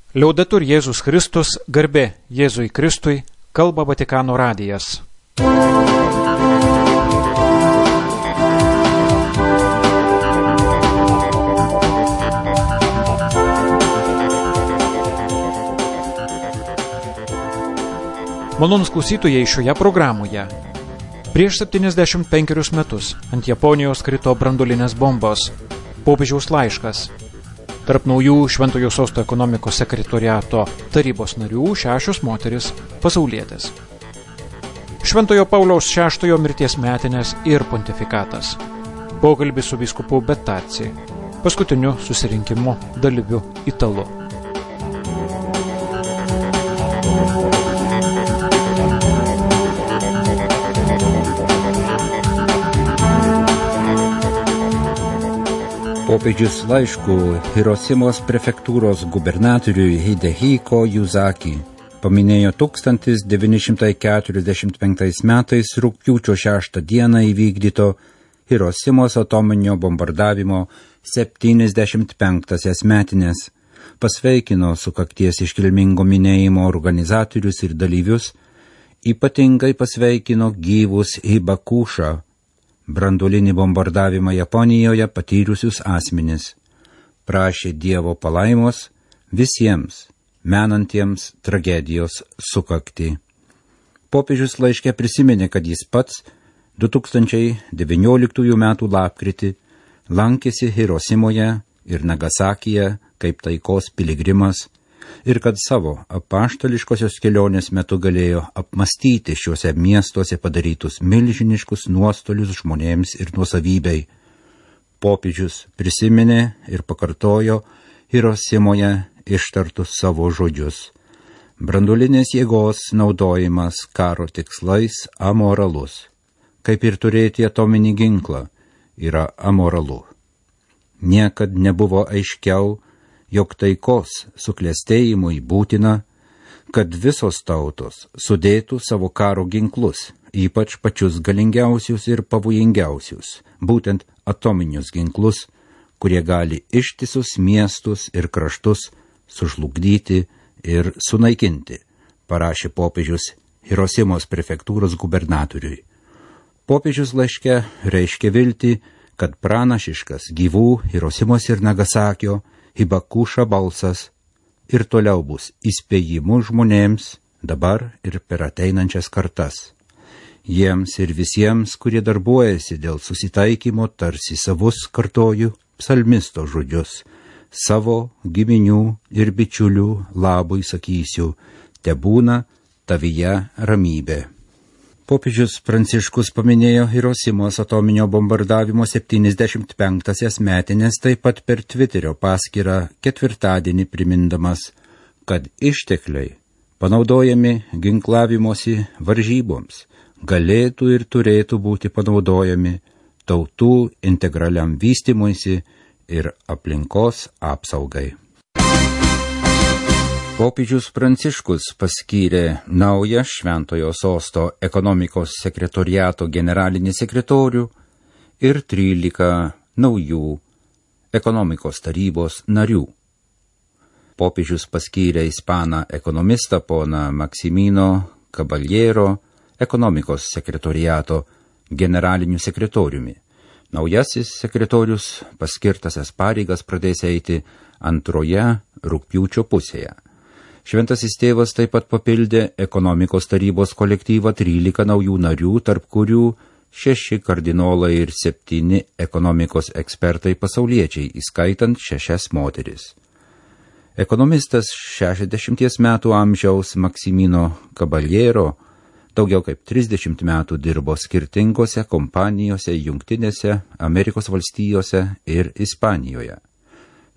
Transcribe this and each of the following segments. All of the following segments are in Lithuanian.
Liaudetur Jėzus Kristus, garbė Jėzui Kristui, kalba Vatikano radijas. Malonūs klausytojai, šioje programoje. Prieš 75 metus ant Japonijos krito branduolinės bombos. Popiežiaus laiškas. Tarp naujų Šventojo Sosto ekonomikos sekretoriato tarybos narių 6 moteris pasaulietės. Šventojo Pauliaus VI mirties metinės ir pontifikatas. Pokalbis su vyskupu Bettarci, paskutiniu susirinkimo dalyviu Italu. Popiežius laišku Hirosimos prefektūros gubernatoriui Hidehiko Yuzaki paminėjo 1945 metais rugpjūčio 6 dieną įvykdyto Hirosimos atominio bombardavimo 75-asias metinės, pasveikino sukakties iškilmingo minėjimo organizatorius ir dalyvius, ypatingai pasveikino gyvus Hibakušą, branduolinį bombardavimą Japonijoje patyrusius asmenis, prašė Dievo palaimos visiems menantiems tragedijos sukaktį. Popiežius laiške prisiminė, kad jis pats 2019 metų lapkritį lankėsi Hirosimoje ir Nagasakyje kaip taikos piligrimas ir kad savo apaštališkosios kelionės metu galėjo apmastyti šiuose miestuose padarytus milžiniškus nuostolius žmonėms ir nuosavybei. Popiežius prisiminė ir pakartojo Hirosimoje ištartus savo žodžius. Branduolinės jėgos naudojimas karo tikslais amoralus, kaip ir turėti atominį ginklą, yra amoralu. Niekad nebuvo aiškiau, jog taikos suklestėjimui būtina, kad visos tautos sudėtų savo karo ginklus, ypač pačius galingiausius ir pavojingiausius, būtent atominius ginklus, kurie gali ištisus miestus ir kraštus sužlugdyti ir sunaikinti, parašė popiežius Hirosimos prefektūros gubernatoriui. Popiežius laiške reiškia viltį, kad pranašiškas gyvų Hirosimos ir Nagasakio Hibakuša balsas ir toliau bus įspėjimu žmonėms dabar ir per ateinančias kartas. Jiems ir visiems, kurie darbuojasi dėl susitaikymo, tarsi savus kartoju psalmisto žodžius. Savo giminių ir bičiulių labui sakysiu, tebūna tavyje ramybė. Popiežius Pranciškus paminėjo Hirosimos atominio bombardavimo 75-asias metinės taip pat per Twitterio paskyrą ketvirtadienį primindamas, kad ištekliai panaudojami ginklavimosi varžyboms galėtų ir turėtų būti panaudojami tautų integraliam vystymuisi ir aplinkos apsaugai. Popiežius Pranciškus paskyrė naują Šventojo Sosto ekonomikos sekretoriato generalinį sekretorių ir 13 naujų ekonomikos tarybos narių. Popiežius paskyrė ispaną ekonomistą poną Maximino Caballero ekonomikos sekretoriato generaliniu sekretoriumi. Naujasis sekretorius paskirtasias pareigas pradės eiti antroje rugpjūčio pusėje. Šventasis tėvas taip pat papildė ekonomikos tarybos kolektyvą 13 naujų narių, tarp kurių 6 kardinolai ir 7 ekonomikos ekspertai pasauliečiai, įskaitant 6 moteris. Ekonomistas 60 metų amžiaus Maximino Caballero daugiau kaip 30 metų dirbo skirtingose kompanijose Jungtinėse Amerikos valstijose ir Ispanijoje.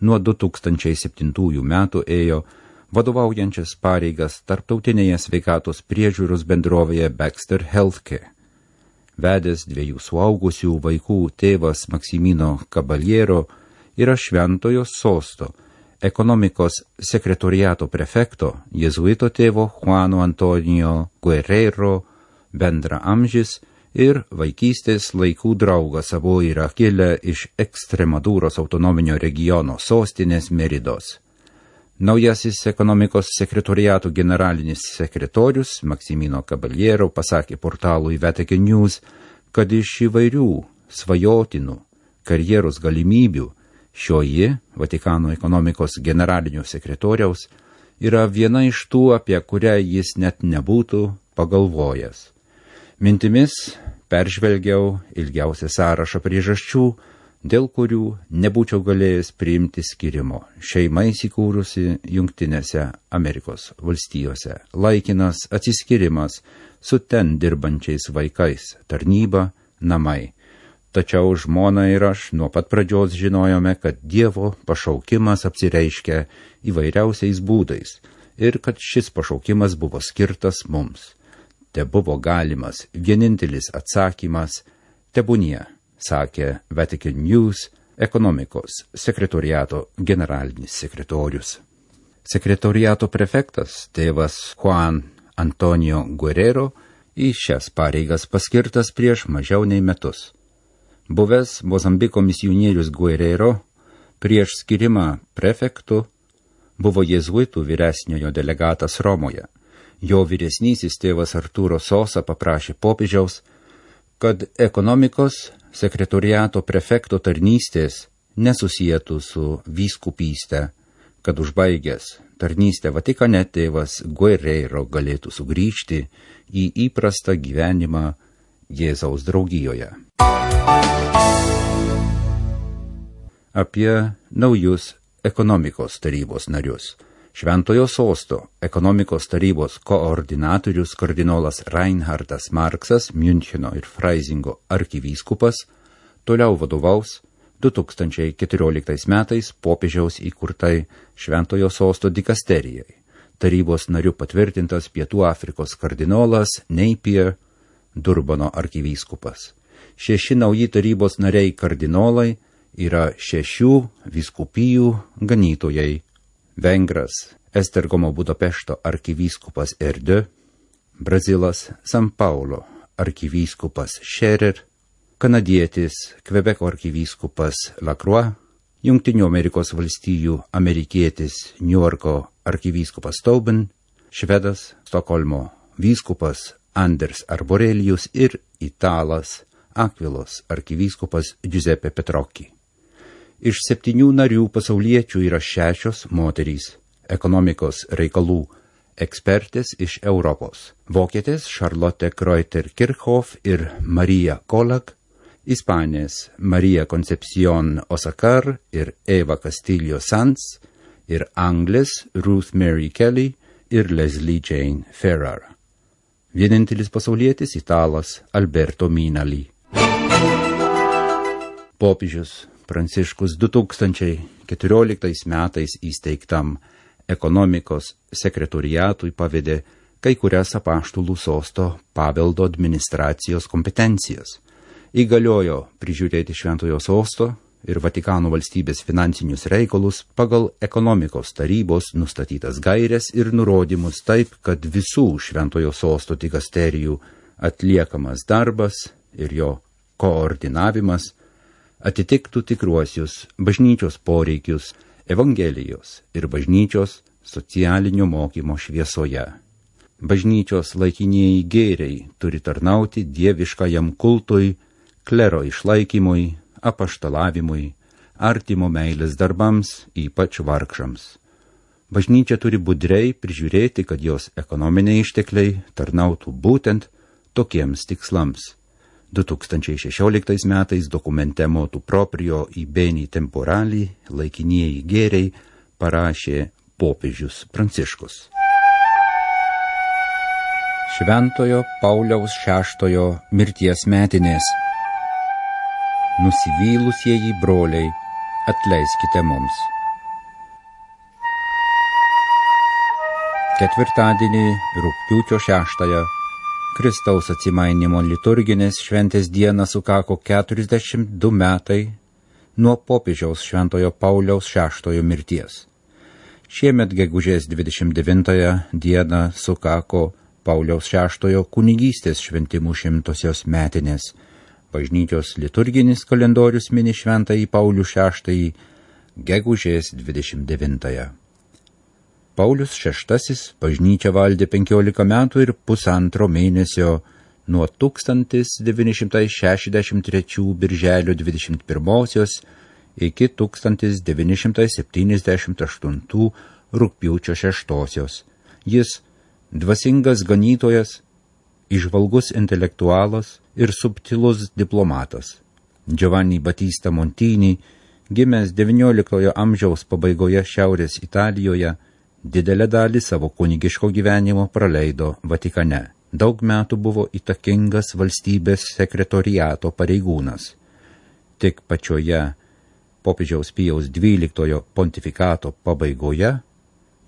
Nuo 2007 metų ėjo vadovaujančias pareigas tarptautinėje sveikatos priežiūros bendrovėje Baxter Healthcare. Vedęs 2 suaugusių vaikų tėvas Maximino Caballero yra Šventojo Sosto ekonomikos sekretoriato prefekto jėzuito tėvo Juano Antonio Guerrero bendraamžis ir vaikystės laikų draugas, abu yra kilę iš Ekstremadūros autonominio regiono sostinės Meridos. Naujasis ekonomikos sekretoriato generalinis sekretorius Maksimino Caballero pasakė portalui Vatican News, kad iš įvairių svajotinų karjeros galimybių šioji Vatikano ekonomikos generalinio sekretoriaus yra viena iš tų, apie kurią jis net nebūtų pagalvojęs. Mintimis peržvelgiau ilgiausią sąrašą priežasčių, dėl kurių nebūčiau galėjęs priimti skirimo. Šeima įsikūrusi Jungtinėse Amerikos valstijose, laikinas atsiskyrimas su ten dirbančiais vaikais, tarnyba, namai. Tačiau žmona ir aš nuo pat pradžios žinojome, kad Dievo pašaukimas apsireiškia įvairiausiais būdais ir kad šis pašaukimas buvo skirtas mums. Te buvo galimas vienintelis atsakymas – tebūnie, sakė Vatican News ekonomikos sekretoriato generalinis sekretorius. Sekretoriato prefektas tėvas Juan Antonio Guerrero į šias pareigas paskirtas prieš mažiau nei metus. Buvęs Mozambiko misionierius Guerrero prieš skirimą prefektu buvo jėzuitų vyresniojo delegatas Romoje. Jo vyresnysis tėvas Arturo Sosa paprašė popiežiaus, kad ekonomikos sekretoriato prefekto tarnystės nesusietų su vyskupyste, kad užbaigęs tarnystę Vatikane tėvas Guerrero galėtų sugrįžti į įprastą gyvenimą Jėzaus draugijoje. Apie naujus ekonomikos tarybos narius. Šventojo sosto ekonomikos tarybos koordinatorius kardinolas Reinhardas Marksas, Miuncheno ir Freisingo arkivyskupas, toliau vadovaus 2014 metais popiežiaus įkurtai Šventojo sosto dikasterijai. Tarybos nariu patvirtintas Pietų Afrikos kardinolas Napier, Durbano arkivyskupas. 6 nauji tarybos nariai kardinolai yra 6 vyskupijų ganytojai. Vengras Estergomo Budapešto arkivyskupas Erdő, Brazilas San Paulo arkivyskupas Scherer, kanadietis Kvebeko arkivyskupas Lacroix, Jungtinių Amerikos valstijų amerikietis Niujorko arkivyskupas Tobin, švedas Stokholmo vyskupas Anders Arborelius ir italas Akvilos arkivyskupas Giuseppe Petrocchi. Iš 7 narių pasauliečių yra 6 moterys, ekonomikos reikalų ekspertės iš Europos. Vokietės Charlotte Kreuter-Kirchhoff ir Marija Kolak, Ispanės Marija Concepción Osacar ir Eva Castillo Sanz, ir Anglės Ruth Mary Kelly ir Leslie Jane Ferrar. Vienintelis pasaulietis italas Alberto Minali. Popiežius Pranciškus 2014 metais įsteigtam ekonomikos sekretoriatui pavedė kai kurias apaštalų sosto paveldo administracijos kompetencijas. Įgaliojo prižiūrėti Šventojo sosto ir Vatikano valstybės finansinius reikalus pagal ekonomikos tarybos nustatytas gaires ir nurodymus taip, kad visų Šventojo sosto dikasterijų atliekamas darbas ir jo koordinavimas atitiktų tikruosius bažnyčios poreikius Evangelijos ir bažnyčios socialinio mokymo šviesoje. Bažnyčios laikinieji gėriai turi tarnauti dieviškajam kultui, klero išlaikymui, apaštalavimui, artimo meilės darbams, ypač vargšams. Bažnyčia turi budriai prižiūrėti, kad jos ekonominiai ištekliai tarnautų būtent tokiems tikslams. 2016 metais dokumente Motu proprio i beni temporali laikinieji gėriai parašė popiežius Pranciškus. Šventojo Pauliaus VI mirties metinės. Nusivylusieji broliai, atleiskite mums. Ketvirtadienį rugpjūčio 6 Kristaus atsimainimo liturginės šventės dieną sukako 42 metai nuo popiežiaus Šventojo Pauliaus VI mirties. Šiemet gegužės 29 dieną sukako Pauliaus VI kunigystės šventimų 100-osios metinės. Bažnyčios liturginis kalendorius mini Šventąjį Paulių VI gegužės 29. Paulius VI bažnyčią valdė 15 metų ir pusantro mėnesio nuo 1963 birželio 21 iki 1978 rugpjūčio 6. Jis dvasingas ganytojas, įžvalgus intelektualas ir subtilus diplomatas. Giovanni Battista Montini, gimęs XIX amžiaus pabaigoje Šiaurės Italijoje, didelę dalį savo kunigiško gyvenimo praleido Vatikane. Daug metų buvo įtakingas valstybės sekretoriato pareigūnas. Tik pačioje popiežiaus Pijaus XII pontifikato pabaigoje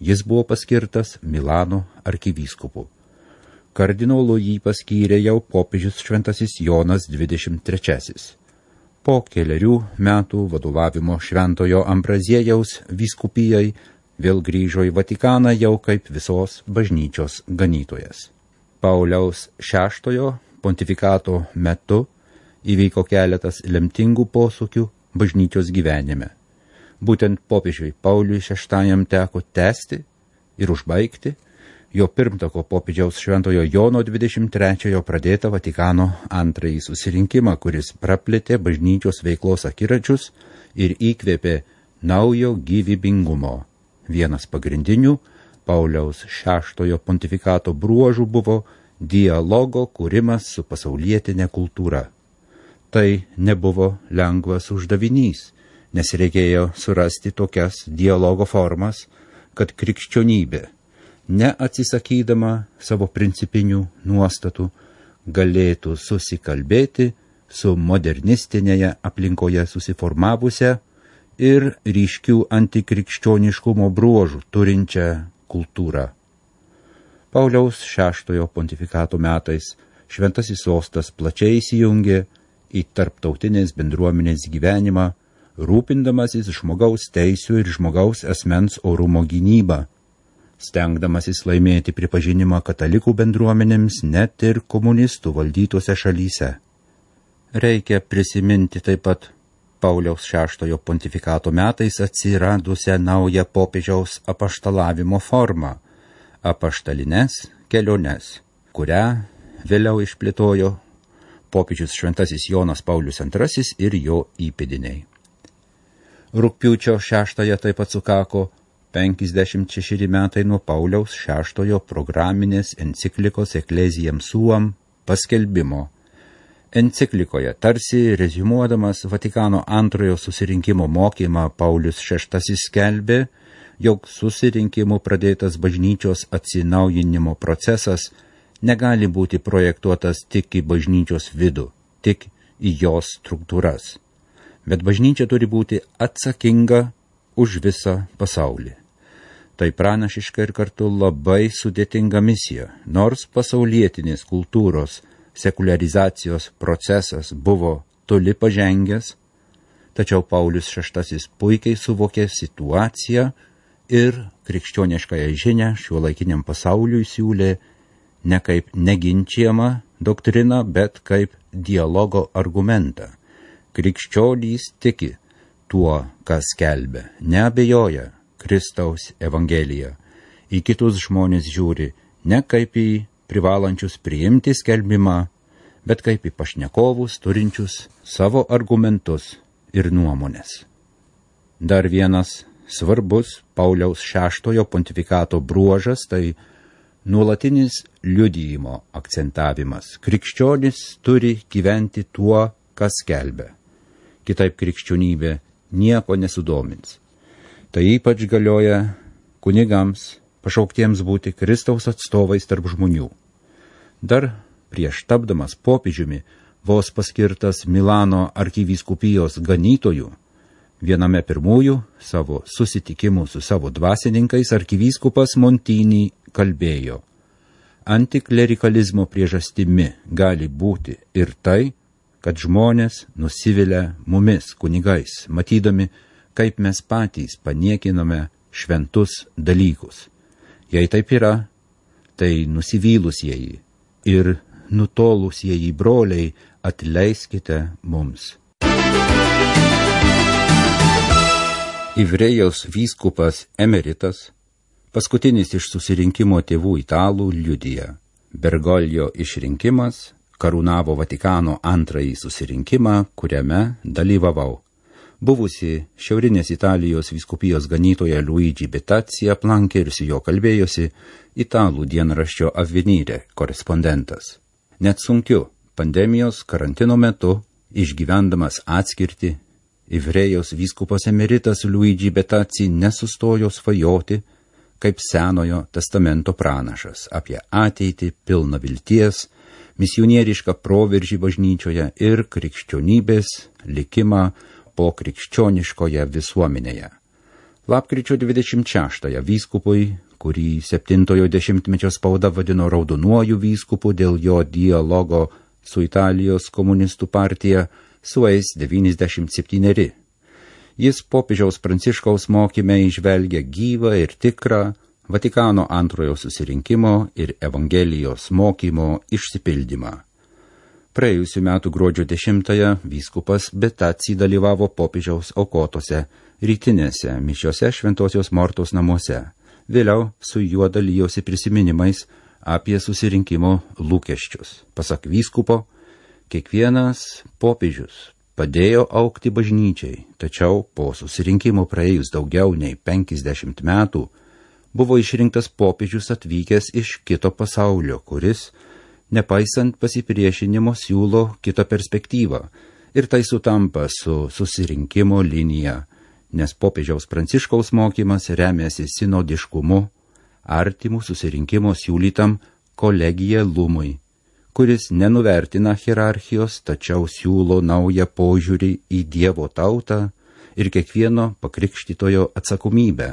jis buvo paskirtas Milano arkivyskupu. Kardinolu jį paskyrė jau popiežius Šventasis Jonas XXIII. Po kelerių metų vadovavimo Šventojo Ambraziejaus vyskupijai vėl grįžo į Vatikaną jau kaip visos bažnyčios ganytojas. Pauliaus VI pontifikato metu įvyko keletas lemtingų posūkių bažnyčios gyvenime. Būtent popiežiui Pauliui VI teko tęsti ir užbaigti jo pirmtako popiežiaus Šventojo Jono 23 pradėtą Vatikano antrąjį susirinkimą, kuris praplėtė bažnyčios veiklos akiračius ir įkvėpė naujo gyvybingumo. Vienas pagrindinių Pauliaus VI pontifikato bruožų buvo dialogo kūrimas su pasaulietinė kultūra. Tai nebuvo lengvas uždavinys, nes reikėjo surasti tokias dialogo formas, kad krikščionybė, neatsisakydama savo principinių nuostatų, galėtų susikalbėti su modernistinėje aplinkoje susiformavusią ir ryškių antikrikščioniškumo bruožų turinčią kultūrą. Pauliaus VI pontifikato metais Šventasis Sostas plačiai įsijungė į tarptautinės bendruomenės gyvenimą, rūpindamasis žmogaus teisių ir žmogaus asmens orumo gynybą, stengdamasis laimėti pripažinimą katalikų bendruomenėms net ir komunistų valdytose šalyse. Reikia prisiminti taip pat Pauliaus VI pontifikato metais atsiradusią naują popiežiaus apaštalavimo formą – apaštalines keliones, kurią vėliau išplėtojo popiežius Šventasis Jonas Paulius II ir jo įpėdiniai. Rugpjūčio 6 taip pat sukako 56 metai nuo Pauliaus VI programinės enciklikos Ecclesiam Suam paskelbimo. Enciklikoje, tarsi reziumuodamas Vatikano antrojo susirinkimo mokymą, Paulius VI skelbė, jog susirinkimų pradėtas bažnyčios atsinaujinimo procesas negali būti projektuotas tik į bažnyčios vidų, tik į jos struktūras. Bet bažnyčia turi būti atsakinga už visą pasaulį. Tai pranašiška ir kartu labai sudėtinga misija, nors pasaulietinės kultūros sekuliarizacijos procesas buvo toli pažengęs, tačiau Paulius VI puikiai suvokė situaciją ir krikščioniškąją žinią šiuolaikiniam pasauliui siūlė ne kaip neginčiamą doktriną, bet kaip dialogo argumentą. Krikščionys tiki tuo, kas skelbia, neabejoja Kristaus Evangeliją. Į kitus žmonės žiūri ne kaip į privalančius priimti skelbimą, bet kaip į pašnekovus turinčius savo argumentus ir nuomonės. Dar vienas svarbus Pauliaus VI pontifikato bruožas tai nuolatinis liudijimo akcentavimas. Krikščionis turi gyventi tuo, kas skelbia. Kitaip krikščionybė nieko nesudomins. Tai ypač galioja kunigams, pašauktiems būti Kristaus atstovais tarp žmonių. Dar prieš tapdamas popiežiumi, vos paskirtas Milano arkivyskupijos ganytojų, viename pirmųjų savo susitikimų su savo dvasininkais arkivyskupas Montini kalbėjo: antiklerikalizmo priežastimi gali būti ir tai, kad žmonės nusivilia mumis kunigais, matydami, kaip mes patys paniekiname šventus dalykus. Jei taip yra, tai nusivylusieji ir nutolusieji broliai, atleiskite mums. Ivrėjaus vyskupas emeritas Paskutinis iš susirinkimo tėvų italų liudija. Bergoglio išrinkimas karūnavo Vatikano antrąjį susirinkimą, kuriame dalyvavau. Buvusi Šiaurinės Italijos vyskupijos ganytoja Luigi Betazzi aplankė ir su jo kalbėjosi italų dienraščio Avvenire korespondentas. Net sunkiu pandemijos karantino metu, išgyvendamas atskirtį, Ivrėjos vyskupas emeritas Luigi Betazzi nesustojo svajoti kaip Senojo testamento pranašas apie ateitį pilną vilties, misionierišką proveržį bažnyčioje ir krikščionybės likimą po krikščioniškoje visuomenėje. Lapkričio 26 vyskupui, kurį 70-ojo dešimtmečio spauda vadino raudonuoju vyskupu dėl jo dialogo su Italijos komunistų partija, sueis 97. Jis popiežiaus Pranciškaus mokyme įžvelgia gyvą ir tikrą Vatikano antrojo susirinkimo ir Evangelijos mokymo išsipildymą. Praėjusių metų gruodžio 10-ąją vyskupas Betazzi dalyvavo popiežiaus aukotose rytinėse mišiose Šventosios Mortos namuose. Vėliau su juo dalijosi prisiminimais apie susirinkimo lūkesčius. Pasak vyskupo, kiekvienas popiežius padėjo augti bažnyčiai, tačiau po susirinkimo praėjus daugiau nei 50 metų buvo išrinktas popiežius atvykęs iš kito pasaulio, kuris, nepaisant pasipriešinimo, siūlo kitą perspektyvą. Ir tai sutampa su susirinkimo linija, nes popiežiaus Pranciškaus mokymas remiasi sinodiškumu, artimų susirinkimo siūlytam kolegialumui, kuris nenuvertina hierarchijos, tačiau siūlo naują požiūrį į Dievo tautą ir kiekvieno pakrikštytojo atsakomybę.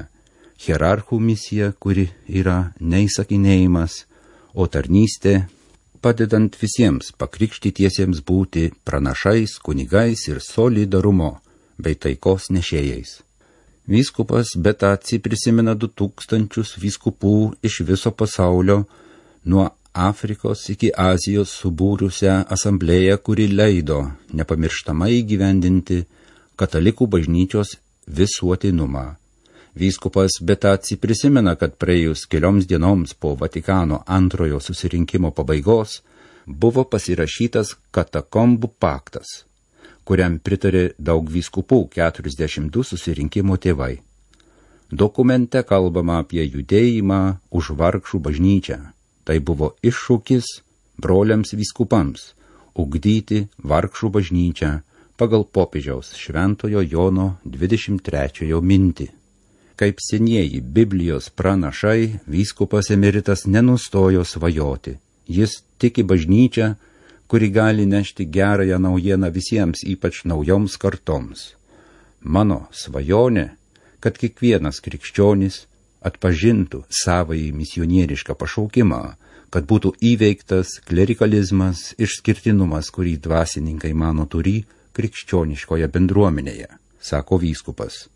Hierarchų misija, kuri yra neįsakinėjimas, o tarnystė, padedant visiems pakrikštytiesiems būti pranašais, kunigais ir solidarumo bei taikos nešėjais. Vyskupas Betazzi prisimena 2000 vyskupų iš viso pasaulio, nuo Afrikos iki Azijos subūrusią asamblėją, kuri leido nepamirštamai įgyvendinti katalikų bažnyčios visuotinumą. Vyskupas Betazzi prisimena, kad praėjus kelioms dienoms po Vatikano antrojo susirinkimo pabaigos buvo pasirašytas katakombų paktas, kuriam pritarė daug vyskupų, 42 susirinkimo tėvai. Dokumente kalbama apie judėjimą už vargšų bažnyčią. Tai buvo iššūkis broliams vyskupams ugdyti vargšų bažnyčią pagal popiežiaus Šventojo Jono 23 mintį. Kaip senieji Biblijos pranašai, vyskupas emeritas nenustojo svajoti. Jis tiki bažnyčią, kuri gali nešti gerąją naujieną visiems, ypač naujoms kartoms. Mano svajonė, kad kiekvienas krikščionis atpažintų savąjį misionierišką pašaukimą, kad būtų įveiktas klerikalizmas, išskirtinumas, kurį dvasininkai mano turį krikščioniškoje bendruomenėje, sako vyskupas.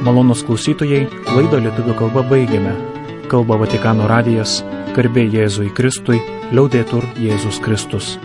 Malonūs klausytojai, laidą lietuvių kalba baigiame. Kalba Vatikano radijas, garbė Jėzui Kristui, liaudetur Jėzus Kristus.